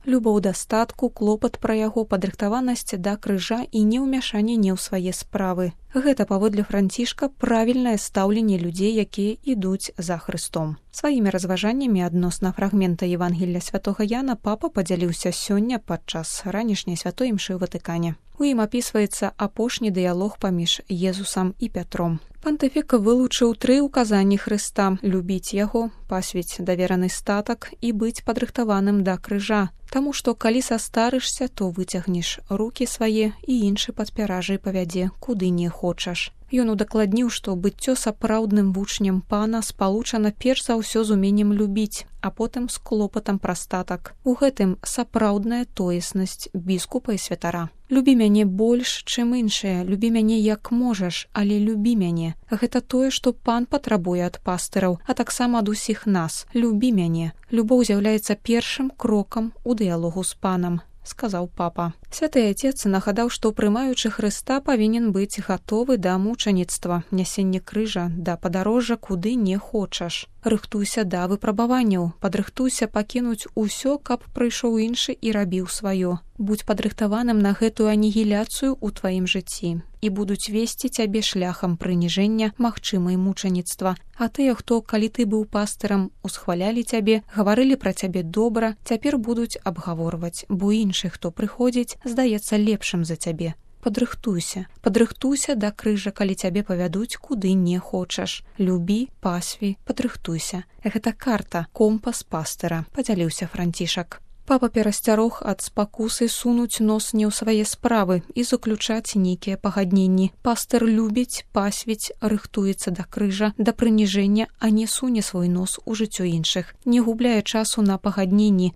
Любоў да статку, клопат пра яго, падрыхтаванасць да крыжа і неўмяшанне ў свае справы. Гэта, паводле Францішка, правільнае стаўленне людзей, якія ідуць за Хрыстом. Сваімі разважаннямі адносна фрагмента Евангелля святога Яна папа падзяліўся сёння падчас ранішняй святой імшы ў Ватыкане. У ім апісваецца апошні дыялог паміж Езусам і Пятром. Пантыфік вылучыў 3 указанні Хрыста: любіць яго, пасвіць давераны статак і быць падрыхтаваным да крыжа. Таму што калі састарышся, то выцягнеш рукі свае і іншы падпяражай павядзе, куды не хочаш. Ён удакладніў, што быццё сапраўдным вучнем пана спалучана перш за ўсё з уменнем любіць, а потым з клопатам пра статак. У гэтым сапраўдная тоеснасць біскупа і святара. Любі мяне больш, чым іншыя, любі мяне як можаш, але любі мяне. Гэта тое, што пан патрабуе ад пастыраў, а таксама ад усіх нас. Любі мяне. Любоў з'яўляецца першым крокам у дыялогу з панам, сказаў папа. Святы Отец нагадаў, што прымаючы Хрыста павінен быць гатовы да мучаніцтва, нясення крыжа, да падарожжа, куды не хочаш. Рыхтуйся да выпрабаванняў, падрыхтуйся пакінуць усё, каб прыйшоў іншы і рабіў сваё. Будзь падрыхтаваным на гэтую анігіляцыю ў тваім жыцці і будуць весці цябе шляхам прыніжэння, магчымай мучаніцтва. А тыя, хто, калі ты быў пастырам, усхвалялі цябе, гаварылі пра цябе добра, цяпер будуць абгаворваць, бо іншы, хто прыходзіць, здаецца лепшым за цябе. Падрыхтуйся. Падрыхтуйся да крыжа, калі цябе павядуць, куды не хочаш. Любі, пасві, падрыхтуйся. Гэта карта, компас пастыра, падзяліўся Францішак. Папа перасцярог ад спакусы сунуць нос не ў свае справы і заключаць нейкія пагадненні. Пастыр любіць, пасвіць, рыхтуецца да крыжа, да прыніжэння, а не суне свой нос у жыццё іншых. Не губляе часу на пагадненні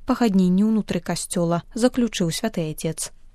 ўнутры касцёла, заключыў святы Отец.